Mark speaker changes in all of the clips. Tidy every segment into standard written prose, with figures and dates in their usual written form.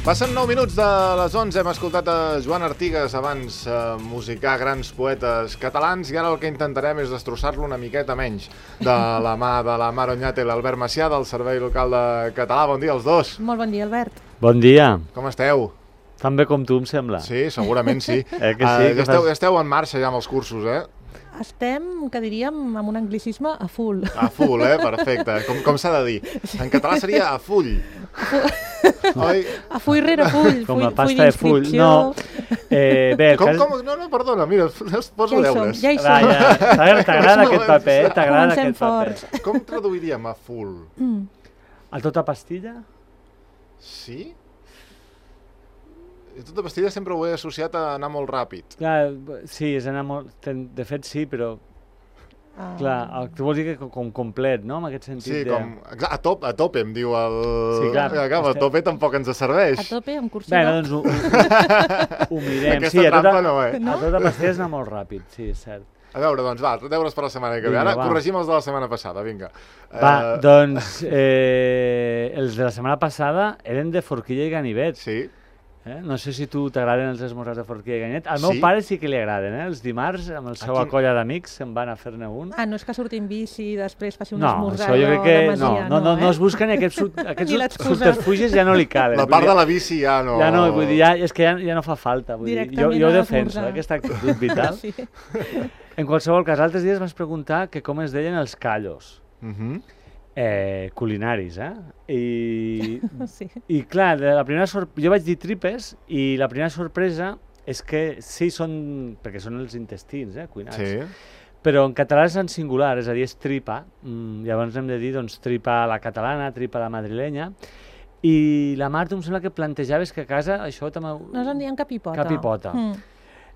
Speaker 1: Passen 9 minuts de les 11, hem escoltat a Joan Artigas abans musicar grans poetes catalans i ara el que intentarem és destrossar-lo una miqueta menys de la mà de la Mar Oñate i l'Albert Macià del Servei Local de Català. Bon dia als dos.
Speaker 2: Molt bon dia, Albert.
Speaker 3: Bon dia.
Speaker 1: Com esteu?
Speaker 3: Tan bé com tu, em sembla.
Speaker 1: Sí, segurament sí.
Speaker 3: Que sí que
Speaker 1: ja esteu en marxa ja amb els cursos, eh?
Speaker 2: Estem, que diríem, amb un anglicisme a full.
Speaker 1: A full, perfecte. Com s'ha de dir? En català seria a full. Oi?
Speaker 2: A full rere full.
Speaker 3: Com la pasta de full. No. Bé,
Speaker 1: No, perdona, mira, poso deures.
Speaker 2: Ja hi som.
Speaker 3: T'agrada aquest paper, t'agrada aquest paper.
Speaker 1: Com traduiríem a full?
Speaker 3: A tota pastilla?
Speaker 1: Sí? I tota pastilla sempre ho he associat a anar molt ràpid.
Speaker 3: Clar, sí, és anar molt... De fet, sí, però... Clar, tu vols dir que com complet, no?, en aquest sentit.
Speaker 1: Sí, com... A tope, em diu el...
Speaker 3: Sí, clar.
Speaker 1: A tope tampoc ens serveix.
Speaker 2: A tope, amb cursiva.
Speaker 3: Bé, doncs ho mirem.
Speaker 1: Aquesta trampa no, eh?
Speaker 3: A tota pastilla és anar molt ràpid, sí, és cert.
Speaker 1: A veure, doncs va, deures per la setmana que ve. Ara corregim els de la setmana passada, vinga.
Speaker 3: Va, doncs els de la setmana passada eren de forquilla i ganivet.
Speaker 1: Sí.
Speaker 3: No sé si tu t'agraden els esmorzars de forquilla i ganivet. Al meu pare sí que li agraden, els dimarts, amb el seu colla d'amics, se'n van a fer-ne un.
Speaker 2: No és que surti en bici i després faci un esmorzar
Speaker 3: de Masia, no es busquen i aquests subterfugis ja no li calen.
Speaker 1: La part de la bici ja no...
Speaker 3: Ja no, vull dir, és que ja no fa falta. Jo ho defenso, aquesta actitud vital. En qualsevol cas, altres dies vas preguntar que com es deien els callos. Culinaris, I clar, jo vaig dir tripes i la primera sorpresa és que sí són, perquè són els intestins, cuinats, però en català és en singular, és a dir, és tripa, llavors hem de dir tripa a la catalana, tripa a la madrilenya, i la Marta em sembla que plantejaves que a casa això també...
Speaker 2: Nos en diem capipota.
Speaker 3: Capipota.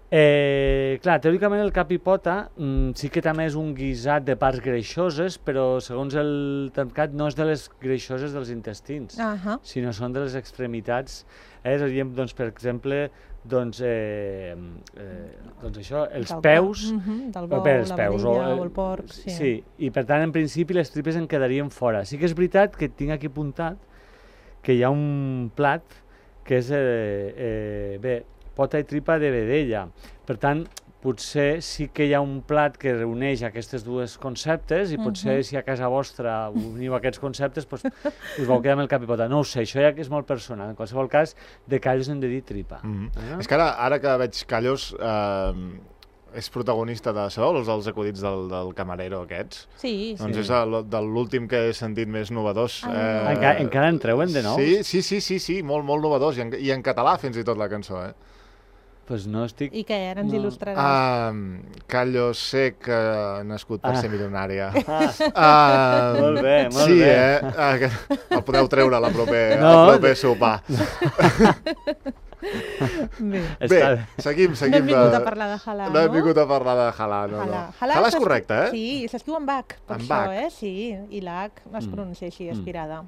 Speaker 3: Clar, teòricament el capipota sí que també és un guisat de parts greixoses, però segons el termcat no és de les greixoses dels intestins, sinó són de les extremitats. És a dir, per exemple, això, els peus...
Speaker 2: Del bou, la vedella o el porc.
Speaker 3: Sí, i per tant, en principi, les tripes en quedarien fora. Sí que és veritat que tinc aquí apuntat que hi ha un plat que és, pota i tripa de vedella. Per tant, potser sí que hi ha un plat que reuneix aquests dos conceptes i potser si a casa vostra uniu aquests conceptes us vau quedar amb el capipota. No ho sé, això ja que és molt personal. En qualsevol cas, de callos hem de dir tripa.
Speaker 1: És que ara que veig callos... és protagonista de... Sabeu els acudits del camarero aquests?
Speaker 2: Sí.
Speaker 1: Doncs és de l'últim que he sentit més novedós.
Speaker 3: Encara en treuen de nou?
Speaker 1: Sí, molt novedós. I en català fins i tot la cançó,
Speaker 3: Pues no estic...
Speaker 2: I què, ara ens il·lustraràs?
Speaker 1: Callo sec, nascut per ser milionària.
Speaker 3: Molt bé, molt bé.
Speaker 1: Sí, el podeu treure al proper sopar. Bé, seguim.
Speaker 2: No hem vingut a parlar de halà, no?
Speaker 1: No hem vingut a parlar de halà, no. Halà és correcte,
Speaker 2: Sí, s'escriu amb H, per això, sí, i l'H es pronuncia així, aspirada.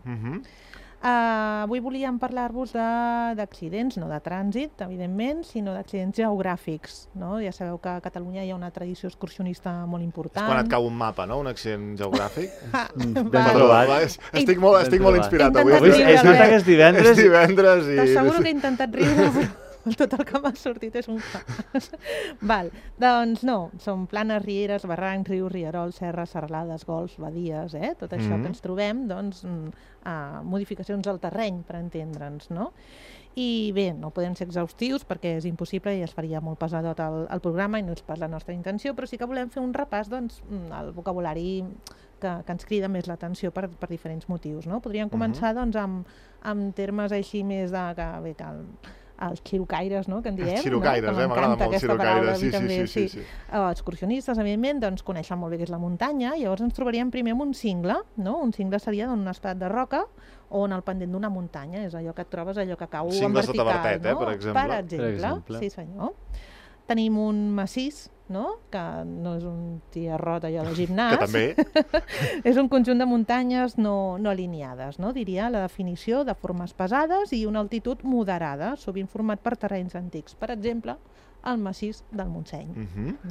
Speaker 2: Avui volíem parlar-vos d'accidents, no de trànsit, evidentment, sinó d'accidents geogràfics. Ja sabeu que a Catalunya hi ha una tradició excursionista molt important.
Speaker 1: És quan et cau un mapa, no?, un accident geogràfic.
Speaker 3: Ben trobat.
Speaker 1: Estic molt inspirat avui.
Speaker 3: És nota que és divendres.
Speaker 1: És divendres i...
Speaker 2: T'asseguro que he intentat riure, però tot el que m'ha sortit és un Val, doncs no, són planes, rieres, barrancs, rius, rierols, serres, serralades, golfs, badies, tot això que ens trobem, doncs, modificacions al terreny, per entendre'ns, no? I bé, no podem ser exhaustius perquè és impossible i es faria molt pesadot el programa i no és pas la nostra intenció, però sí que volem fer un repàs, doncs, al vocabulari que ens crida més l'atenció per diferents motius, no? Podríem començar, doncs, amb termes així més de... els xirocaires, no?, que en diem.
Speaker 1: Els xirocaires, m'agrada molt xirocaires, sí.
Speaker 2: Excursionistes, evidentment, doncs coneixen molt bé què és la muntanya, llavors ens trobaríem primer amb un cingle, no? Un cingle seria un estat de roca o en el pendent d'una muntanya, és allò que et trobes, allò que cau en vertical,
Speaker 1: Cingles de tavertet, per exemple.
Speaker 2: Per exemple, sí senyor. tenim un massís, no? Que no és un tiarrot allò de gimnàs.
Speaker 1: Que també.
Speaker 2: És un conjunt de muntanyes no alineades, no? Diria la definició de formes pesades i una altitud moderada, sovint format per terrenys antics. Per exemple, el massís del Montseny.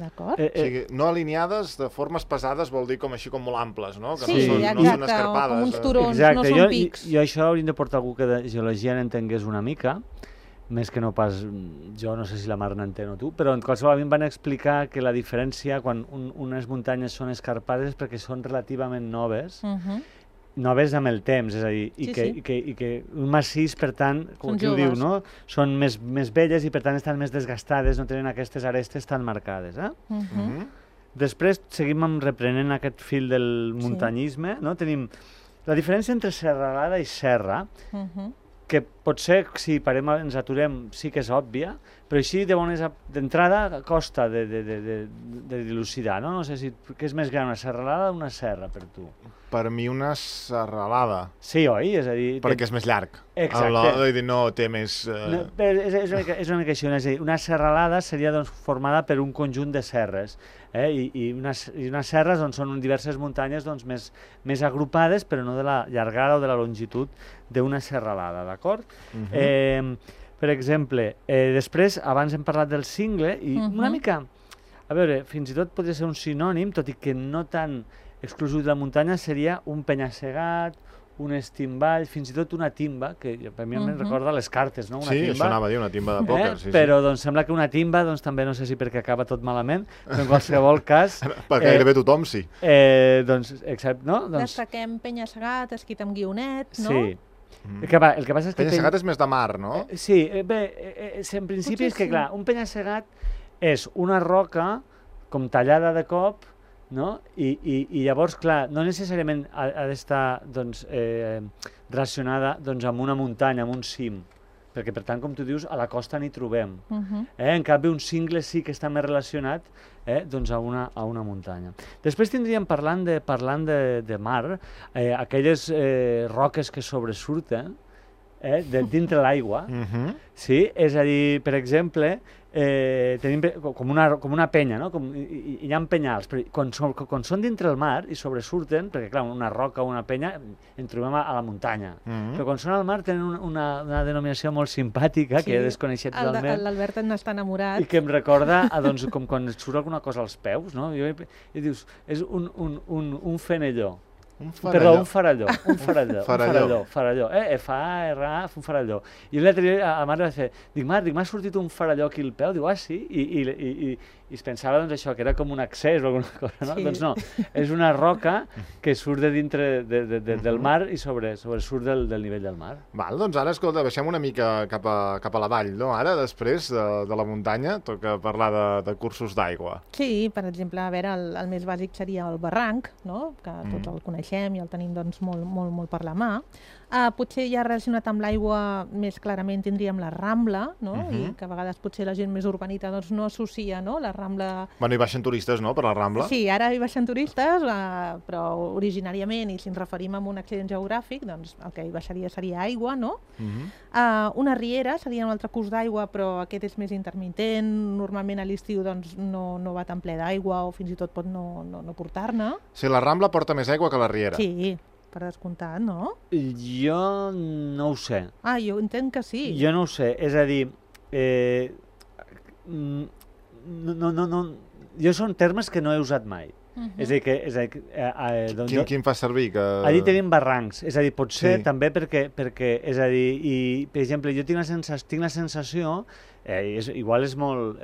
Speaker 2: D'acord?
Speaker 1: O sigui, no alineades, de formes pesades vol dir com així com molt amples, no? Que
Speaker 2: Sí,
Speaker 1: no
Speaker 2: exacte,
Speaker 1: són escarpades.
Speaker 2: com uns turons,
Speaker 3: Exacte,
Speaker 2: no són pics.
Speaker 3: Jo això hauríem de portar algú que de geologia n'entengués una mica, més que no pas jo, no sé si la Mar n'entén o tu, però en qualsevol a mi em van explicar que la diferència quan unes muntanyes són escarpades és perquè són relativament noves, noves amb el temps, és a dir, i que un massís, per tant, com qui ho diu, no? Són més velles i per tant estan més desgastades, no tenen aquestes arestes tan marcades. Després seguim reprenent aquest fil del muntanyisme, no? Tenim la diferència entre serralada i serra, que potser, si parem, ens aturem, sí que és òbvia, però així d'entrada costa de dilucidar, no? No sé si què és més gran, una serralada o una serra per tu?
Speaker 1: Per mi una serralada.
Speaker 3: Sí, oi? És a dir...
Speaker 1: Perquè és més llarg.
Speaker 3: Exacte.
Speaker 1: No té més...
Speaker 3: No, és una mica així, és a dir, una serralada seria doncs, formada per un conjunt de serres, i unes serres doncs, són diverses muntanyes doncs, més agrupades, però no de la llargada o de la longitud d'una serralada, d'acord? Per exemple, després, abans hem parlat del cingle, i una mica, a veure, fins i tot podria ser un sinònim, tot i que no tan exclusiu de la muntanya, seria un penya-segat, un estimball, fins i tot una timba, que per mi em recorda les cartes, no? Una timba.
Speaker 1: Això anava a dir, una timba de pòquer.
Speaker 3: Però doncs, sembla que una timba, doncs, també no sé si perquè acaba tot malament, però en qualsevol cas...
Speaker 1: Per gairebé tothom, sí.
Speaker 3: Doncs, excepte, no?
Speaker 2: Destaquem penya-segat, esquit amb guionet, no?
Speaker 3: Sí. El que passa és que...
Speaker 1: Penya-segat és més de mar, no?
Speaker 3: Sí, bé, en principi és que, clar, un penya-segat és una roca com tallada de cop, no? I llavors, clar, no necessàriament ha d'estar doncs, relacionada doncs, amb una muntanya, amb un cim, perquè, per tant, com tu dius, a la costa n'hi trobem. En canvi, un cingle sí que està més relacionat doncs a una muntanya. Després tindríem, parlant de mar, aquelles roques que sobresurten dintre l'aigua, sí? És a dir, per exemple, tenim com una penya, no? Hi ha penyals, però quan són dintre el mar i sobresurten, perquè clar, una roca o una penya en trobem a la muntanya, però quan són al mar tenen una denominació molt simpàtica, que he desconeixet totalment.
Speaker 2: L'Albert n'està enamorat.
Speaker 3: I que em recorda com quan et surt alguna cosa als peus, no? I dius, és un fenelló. Perdó, un faralló. F-A-R-A, un faralló. I l'altre dia a Mar va fer, dic, m'ha sortit un faralló aquí al peu, diu, sí? I es pensava doncs, això, que era com un accés o alguna cosa, no? Doncs no, és una roca que surt de dintre del mar i surt del nivell del mar.
Speaker 1: Val, doncs ara, escolta, baixem una mica cap a la vall, no? Ara, després de la muntanya, toca parlar de cursos d'aigua.
Speaker 2: Sí, per exemple, a veure, el més bàsic seria el barranc, no? Que tots el coneixem i el tenim doncs, molt per la mà. Potser ja relacionat amb l'aigua més clarament tindríem la Rambla, no? I que a vegades potser la gent més urbanita doncs, no associa, no? La Rambla...
Speaker 1: Bueno, hi baixen turistes, no?, per la Rambla.
Speaker 2: Sí, ara hi baixen turistes, però originàriament, i si ens referim a un accident geogràfic, doncs el que hi baixaria seria aigua, no? Una riera seria un altre curs d'aigua, però aquest és més intermitent. Normalment a l'estiu doncs, no va tan ple d'aigua o fins i tot pot no portar-ne.
Speaker 1: Sí, la Rambla porta més aigua que la riera.
Speaker 2: Sí, per descomptat, no?
Speaker 3: Jo no ho sé.
Speaker 2: Jo entenc que sí.
Speaker 3: Jo no ho sé, és a dir, jo són termes que no he usat mai. És a dir,
Speaker 1: Quin fa servir?
Speaker 3: Allí tenim barrancs, és a dir, potser també perquè, és a dir, per exemple, jo tinc la sensació, igual és molt,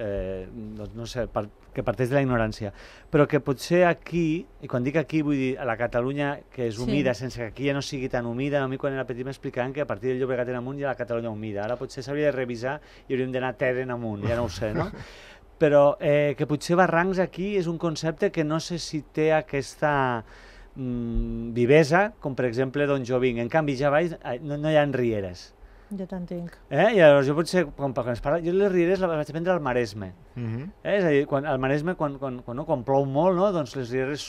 Speaker 3: no sé, que parteix de la ignorància, però que potser aquí, i quan dic aquí vull dir a la Catalunya que és humida, sense que aquí ja no sigui tan humida, a mi quan era petit m'explicaven que a partir del Llobregat en amunt hi ha la Catalunya humida, ara potser s'hauria de revisar i hauríem d'anar terra en amunt, ja no ho sé, no? Però que potser barrancs aquí és un concepte que no sé si té aquesta vivesa, com per exemple d'on jo vinc. En canvi, ja baix no hi ha rieres.
Speaker 2: Jo t'entenc.
Speaker 3: I llavors jo potser, quan es parla, jo les rieres les vaig aprendre al Maresme. És a dir, al Maresme, quan plou molt, no? Doncs les rieres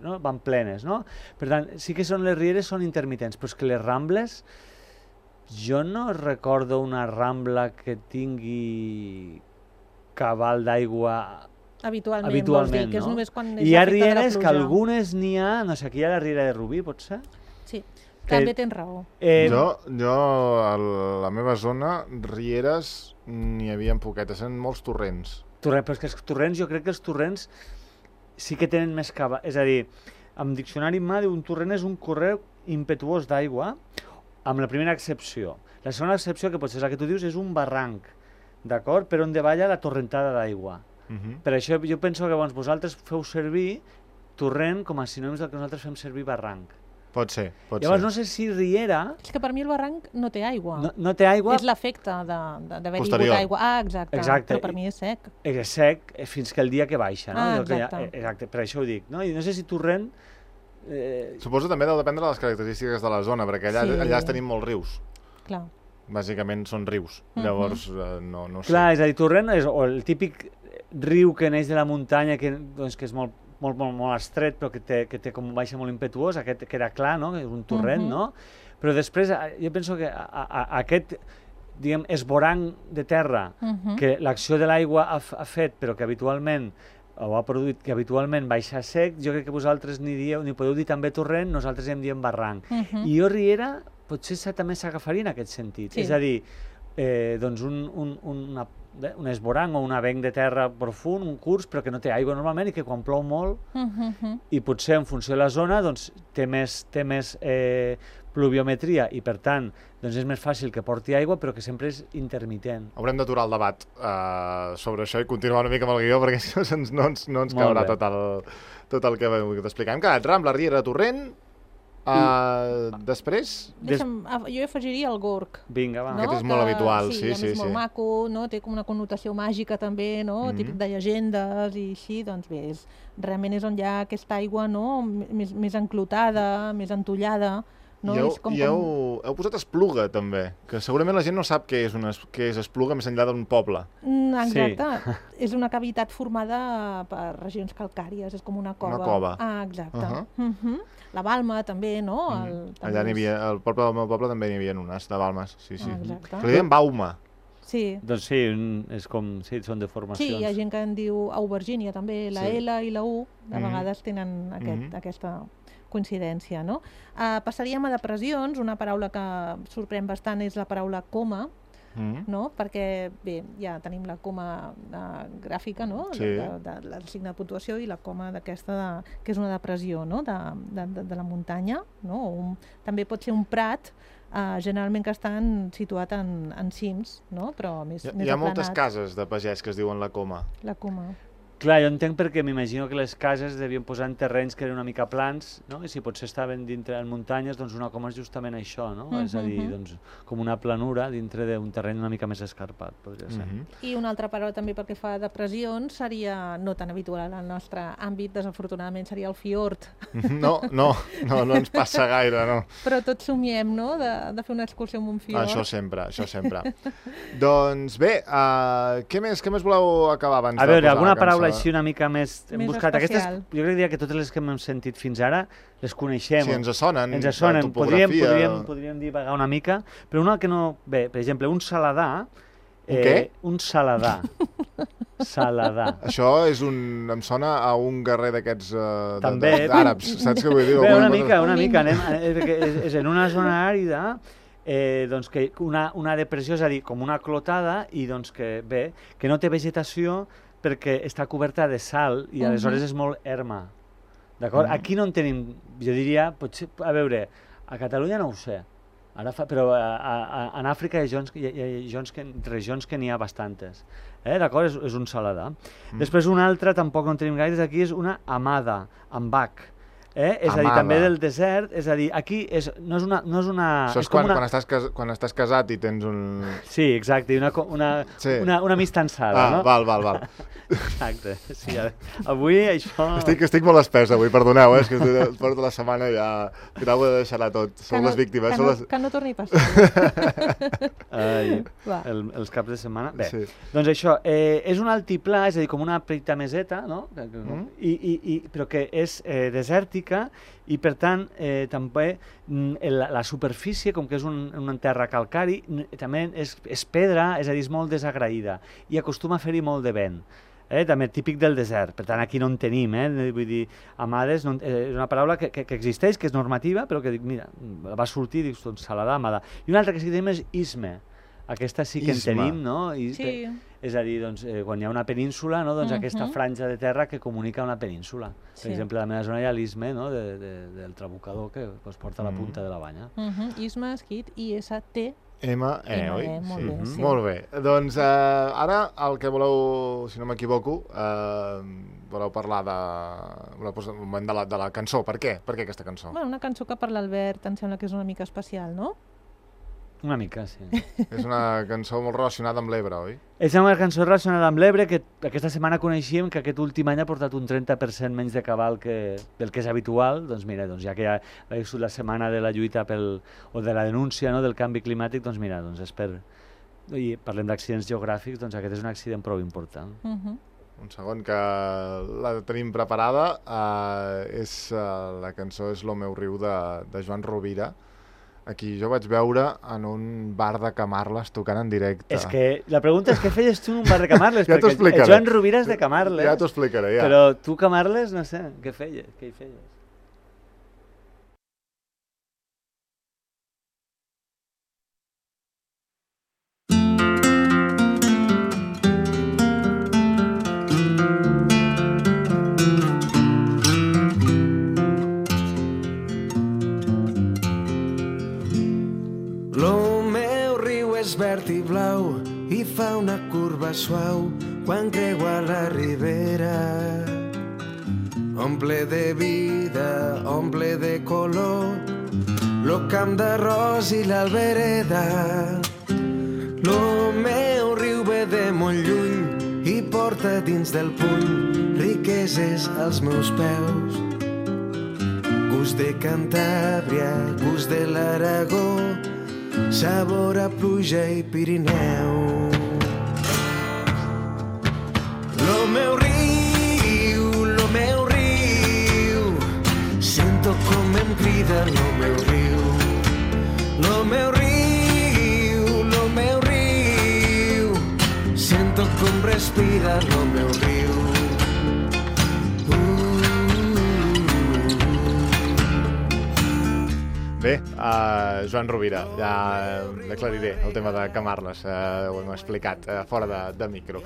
Speaker 3: van plenes, no? Per tant, sí que les rieres són intermitents, però és que les rambles, jo no recordo una rambla que tingui cabal d'aigua
Speaker 2: Habitualment, vols dir, que és
Speaker 3: no?
Speaker 2: només quan és
Speaker 3: I hi ha
Speaker 2: l'efecte de la
Speaker 3: rieres que
Speaker 2: pluja.
Speaker 3: algunes n'hi ha, no sé, aquí hi ha la riera de Rubí, potser?
Speaker 2: Sí, també tens raó.
Speaker 1: Jo a la meva zona, rieres, n'hi havia poquetes, eren molts torrents.
Speaker 3: Però és que els torrents, jo crec que els torrents sí que tenen més cabal. És a dir, en diccionari mà diu un torrent és un correu impetuós d'aigua, amb la primera excepció. La segona excepció, que potser és la que tu dius, és un barranc, d'acord? Per on davalla la torrentada d'aigua. Per això jo penso que vosaltres feu servir torrent com a sinònims del que nosaltres fem servir barranc.
Speaker 1: Pot ser.
Speaker 3: Llavors no sé si riera...
Speaker 2: És que per mi el barranc no té aigua.
Speaker 3: No té aigua...
Speaker 2: És l'efecte d'haver-hi
Speaker 1: Posterior.
Speaker 2: hagut aigua. Ah, exacte. Però per mi és sec.
Speaker 3: És sec fins que el dia que baixa, no?
Speaker 2: Exacte.
Speaker 3: Exacte, per això ho dic, no? I no sé si torrent...
Speaker 1: Suposo també deu dependre de les característiques de la zona, perquè allà tenim molts rius.
Speaker 2: Clar.
Speaker 1: Bàsicament són rius, llavors no sé.
Speaker 3: Clar, és a dir, torrent és el típic riu que neix de la muntanya, que és molt estret, però que té com baixa molt impetuós, aquest queda clar, no? És un torrent, no? Però després jo penso que aquest, diguem, esvoranc de terra que l'acció de l'aigua ha fet, però que habitualment o ha produït que habitualment baixa sec, jo crec que vosaltres ni podeu dir també torrent, nosaltres en diem barranc. I jo riera potser també s'agafaria en aquest sentit. És a dir, doncs un esvoranc o un avenc de terra profund, un curs, però que no té aigua normalment i que quan plou molt, i potser en funció de la zona doncs, té més pluviometria i per tant doncs és més fàcil que porti aigua però que sempre és intermitent.
Speaker 1: Haurem d'aturar el debat sobre això i continuar una mica amb el guió perquè si no ens caurà tot el que t'explicar. Hem quedat Rambla, Riera, Torrent. Després?
Speaker 2: Jo afegiria el Gorg.
Speaker 3: Vinga, va.
Speaker 1: Aquest és molt habitual, sí.
Speaker 2: És molt maco, té com una connotació màgica també, típic de llegendes i així, doncs bé, realment és on hi ha aquesta aigua més enclotada, més entollada.
Speaker 1: I heu posat Espluga, també, que segurament la gent no sap què és Espluga més enllà d'un poble.
Speaker 2: Exacte. És una cavitat formada per regions calcàries, és com una cova.
Speaker 1: Una cova.
Speaker 2: Ah, exacte. La Balma, també, no?
Speaker 1: Allà n'hi havia, al poble del meu poble també n'hi havia unes de Balmes, sí.
Speaker 2: Exacte.
Speaker 1: Però li deien Bauma.
Speaker 2: Sí.
Speaker 3: Doncs sí, és com, sí, són deformacions.
Speaker 2: Sí, hi ha gent que en diu Aubergínia també, la L i la U, de vegades tenen aquesta coincidència, no? Passaríem a depressions, una paraula que sorprèn bastant és la paraula coma, no? Perquè, bé, ja tenim la coma gràfica, no? De signe de puntuació i la coma d'aquesta, que és una depressió, no? De la muntanya, no? També pot ser un prat, generalment que estan situat en cims, no? Però més aplanat.
Speaker 1: Hi ha moltes cases de pagès que es diuen la coma.
Speaker 2: La coma.
Speaker 3: Clar, jo entenc perquè m'imagino que les cases devien posar en terrenys que eren una mica plans, no? I si potser estaven dintre en muntanyes, doncs una coma és justament això, no? És a dir, doncs, com una planura dintre d'un terreny una mica més escarpat, podria ser.
Speaker 2: I una altra paraula també perquè fa depressions seria, no tan habitual al nostre àmbit, desafortunadament seria el fiord.
Speaker 1: No ens passa gaire, no.
Speaker 2: Però tots somiem, no?, de fer una excursió amb un fiord.
Speaker 1: Això sempre. Doncs bé, què més voleu acabar abans de posar la cançó?
Speaker 3: A veure, alguna paraula així una mica més... Hem buscat
Speaker 2: especial.
Speaker 3: Aquestes, jo crec que totes les que hem sentit fins ara les coneixem.
Speaker 1: Sí, ens sonen.
Speaker 3: Podríem divagar una mica, però una que no... Bé, per exemple, un saladar...
Speaker 1: Què?
Speaker 3: Un saladar. Saladar.
Speaker 1: Això em sona a un guerrer d'aquests àrabs, saps què vull dir?
Speaker 3: Bé, una mica. És en una zona àrida, doncs que una depressió, és a dir, com una clotada, i doncs que no té vegetació, perquè està coberta de sal i aleshores és molt erma. D'acord? Aquí no en tenim, jo diria, potser, a veure, a Catalunya no ho sé, però en Àfrica hi ha regions que n'hi ha bastantes. D'acord? És un saladar. Després una altra, tampoc no en tenim gaires, aquí és una amada, ambac. És a dir, també del desert, és a dir, aquí no és una...
Speaker 1: Això és quan estàs casat i tens un...
Speaker 3: Sí, exacte, una amistançada, no?
Speaker 1: Val.
Speaker 3: Exacte, sí, avui això...
Speaker 1: Estic molt espès avui, perdoneu, és que porto la setmana ja... Grau de deixar-la tot, som les víctimes.
Speaker 2: Que no torni a passar.
Speaker 3: Els caps de setmana. Bé, doncs això, és un altiplà, és a dir, com una petita meseta, no? Però que és desèrtica, bàsica i, per tant, també la superfície, com que és una terra calcari, també és pedra, és a dir, és molt desagraïda i acostuma a fer-hi molt de vent. També típic del desert, per tant aquí no en tenim, vull dir, amades, és una paraula que existeix, que és normativa, però que dic, mira, va sortir, dius, doncs Saladà, amada. I una altra que sí que tenim és Isme, aquesta sí que en tenim, no?
Speaker 2: Sí.
Speaker 3: És a dir, doncs, quan hi ha una península, no? Doncs aquesta franja de terra que comunica una península. Per exemple, a la meva zona hi ha l'Isme, no? Del Trabucador que es porta a la punta de la banya.
Speaker 2: Isme escrit I-S-T
Speaker 1: M-E, oi?
Speaker 2: Molt bé, sí.
Speaker 1: Molt bé. Doncs ara el que voleu, si no m'equivoco, voleu parlar de la cançó. Per què? Per què aquesta cançó?
Speaker 2: Bueno, una cançó que per l'Albert em sembla que és una mica especial, no?
Speaker 3: Una mica, sí.
Speaker 1: És una cançó molt relacionada amb l'Ebre, oi?
Speaker 3: És una cançó relacionada amb l'Ebre que aquesta setmana coneixíem que aquest últim any ha portat un 30% menys de cabal del que és habitual. Doncs mira, ja que ja ha sigut la setmana de la lluita o de la denúncia, no, del canvi climàtic, doncs mira, i parlem d'accidents geogràfics, doncs aquest és un accident prou important.
Speaker 1: Un segon, que la tenim preparada. La cançó és Lo meu riu de Joan Rovira. Aquí jo vaig veure en un bar de Camarles tocant en directe.
Speaker 3: És que la pregunta és què feies tu en un bar de Camarles?
Speaker 1: Ja t'ho explicaré.
Speaker 3: Perquè Joan Rovira és de Camarles.
Speaker 1: Ja t'ho explicaré, ja.
Speaker 3: Però tu, Camarles, no sé, què feies? Què hi feies?
Speaker 4: Verd i blau i fa una curva suau quan creua la ribera. Omple de vida, omple de color lo camp d'arròs i l'albereda. Lo meu riu ve de molt lluny i porta dins del puny riqueses als meus peus. Gust de Cantàbria, gust de l'Aragó, sabor a pluja i Pirineu. Lo meu riu, sento com em crida lo meu riu. Lo meu riu, sento com respira lo meu riu.
Speaker 1: Bé, Joan Rovira, ja l'aclariré el tema de Camarles, ho hem explicat fora de micro.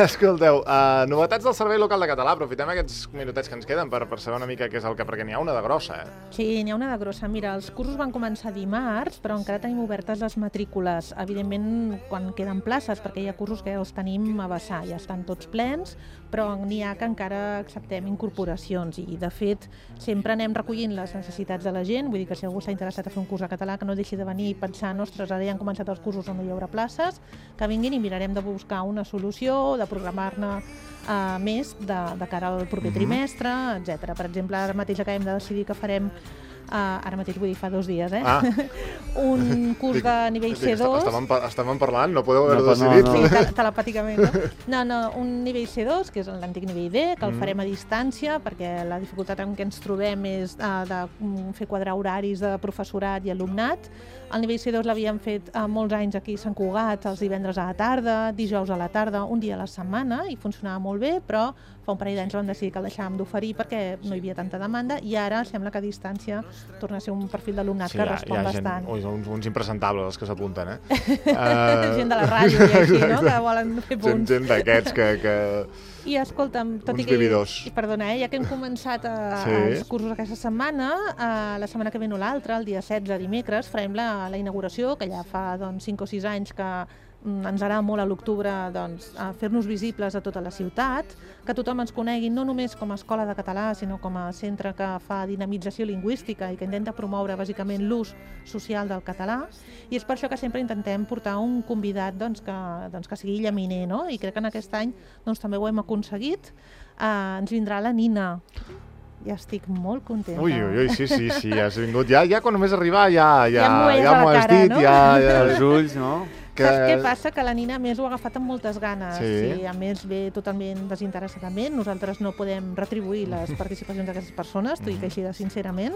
Speaker 1: Escolteu, novetats del Servei Local de Català, aprofitem aquests minutets que ens queden per saber una mica què és el que, perquè n'hi ha una de grossa,
Speaker 2: Sí, n'hi ha una de grossa. Mira, els cursos van començar dimarts, però encara tenim obertes les matrícules. Evidentment, quan queden places, perquè hi ha cursos que els tenim a vessar, ja estan tots plens, però n'hi ha que encara acceptem incorporacions i, de fet, sempre anem recollint les necessitats de la gent, vull dir que si algú s'ha interessat a fer un curs a català, que no deixi de venir pensant, ostres, ara ja han començat els cursos on no hi haurà places, que vinguin i mirarem de buscar una solució, de programar-ne més de cara al proper trimestre, etc. Per exemple, ara mateix acabem de decidir que farem ara mateix vull dir fa 2 dies, un curs de nivell C2.
Speaker 1: Estàvem parlant, no podeu haver-ho decidit.
Speaker 2: Sí, telepàticament. No, un nivell C2, que és l'antic nivell D, que el farem a distància, perquè la dificultat en què ens trobem és de fer quadrar horaris de professorat i alumnat. El nivell C2 l'havíem fet molts anys aquí a Sant Cugat, els divendres a la tarda, dijous a la tarda, un dia a la setmana, i funcionava molt bé, però fa un parell d'anys vam decidir que el deixàvem d'oferir perquè no hi havia tanta demanda, i ara sembla que a distància torna a ser un perfil d'alumnat que respon bastant.
Speaker 1: Sí, uns impresentables els que s'apunten,
Speaker 2: Gent de la ràdio i així, no?, que volen fer punts.
Speaker 1: Gent d'aquests que...
Speaker 2: I escolta'm, tot i que... Perdona, ja que hem començat els cursos aquesta setmana, la setmana que ve no l'altra, el dia 16, dimecres, farem la inauguració, que ja fa 5 o 6 anys que ens agrada molt a l'octubre fer-nos visibles a tota la ciutat, que tothom ens conegui no només com a escola de català, sinó com a centre que fa dinamització lingüística i que intenta promoure bàsicament l'ús social del català, i és per això que sempre intentem portar un convidat que sigui llaminer, no? I crec que en aquest any també ho hem aconseguit. Ens vindrà la Nina. Ja estic molt contenta.
Speaker 1: Ui, sí, has vingut. Ja quan només arribar ja m'ho has dit,
Speaker 2: no?
Speaker 1: ja...
Speaker 3: Els ulls, no?
Speaker 2: Saps què passa? Que la Nina, a més, ho ha agafat amb moltes ganes.
Speaker 1: Sí.
Speaker 2: I, a més, ve totalment desinteressadament. Nosaltres no podem retribuir les participacions d'aquestes persones, t'ho dic així de sincerament.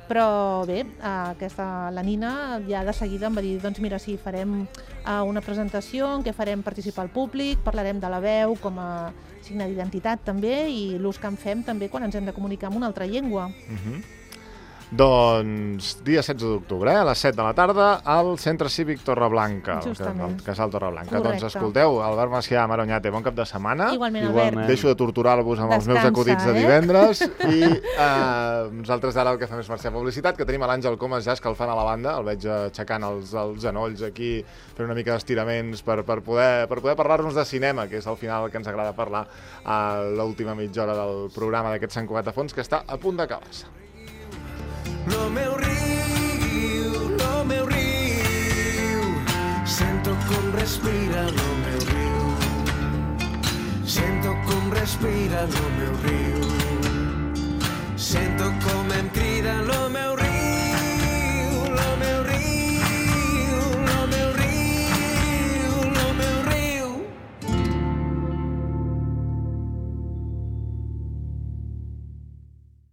Speaker 2: Però bé, la Nina ja de seguida em va dir, doncs mira, sí, farem una presentació en què farem participar el públic, parlarem de la veu com a signe d'identitat també i l'ús que en fem també quan ens hem de comunicar en una altra llengua.
Speaker 1: Doncs dia 16 d'octubre, a les 7 de la tarda, al Centre Cívic Torreblanca,
Speaker 2: Justament.
Speaker 1: al Casal Torreblanca.
Speaker 2: Correcte.
Speaker 1: Doncs escolteu, Albert Macià, Maro Oñate, bon cap de setmana.
Speaker 2: Igualment,
Speaker 3: Igualment.
Speaker 2: Albert.
Speaker 1: Deixo de torturar-vos amb els meus
Speaker 2: Descansa,
Speaker 1: acudits de divendres i nosaltres ara el que fem és marxar publicitat, que tenim a l'Àngel Comas ja escalfant a la banda, el veig aixecant els genolls aquí, fent una mica d'estiraments per poder parlar-nos de cinema, que és al final el que ens agrada parlar a l'última mitja hora del programa d'aquest Sant Cugat a Fons, que està a punt d'acabar-se.
Speaker 4: No meu riu, sento com respira el meu riu, sento com respira el meu riu.